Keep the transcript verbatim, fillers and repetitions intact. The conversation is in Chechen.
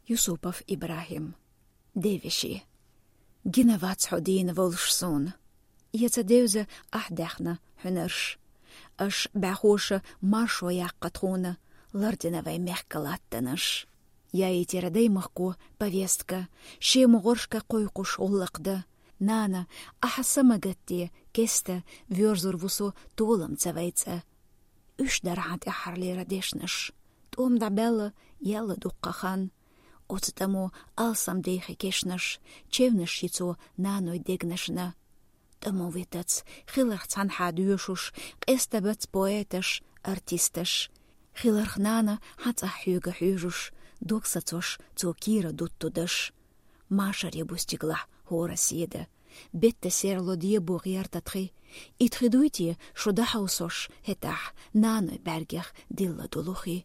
Юсупов Ибрахим. Девеши. Гина вац хьо дийна волуш суна. Я ца девза ахь даьхна хьуьнарш. Аш баьхоша маршо яккха тхуна, лардина вай мехка латтанаш. Я и тера даймахко повестка, шема гӀоршка кхойкхуш гӀуллакх да. Нана, ахьа самагатте, кеста, вёрзур ву со толам ца вайца. Уьш дара хьан тӀаьххьарлера дешнаш. ТӀом дӀабаьлла, яьлла дуккха хан. Оцу тӀамо алсам дехи кешнаш, чевнаш йицо наной дегнашна. ТӀамо витац, хиларх цхьанхьа доьшуш, къеста бац поэташ, артисташ. Хиларх нана хьан цӀахь хьоьга хьоьжуш, дог сацош цо кийра дуттудаш. Машаре бу стиглахь хӀора седа. Бетта серло дебо гӀерта тхи. И тхи дуй те шу дахьовсош, хӀетахь, наной бӀаьргех дилла долу хи.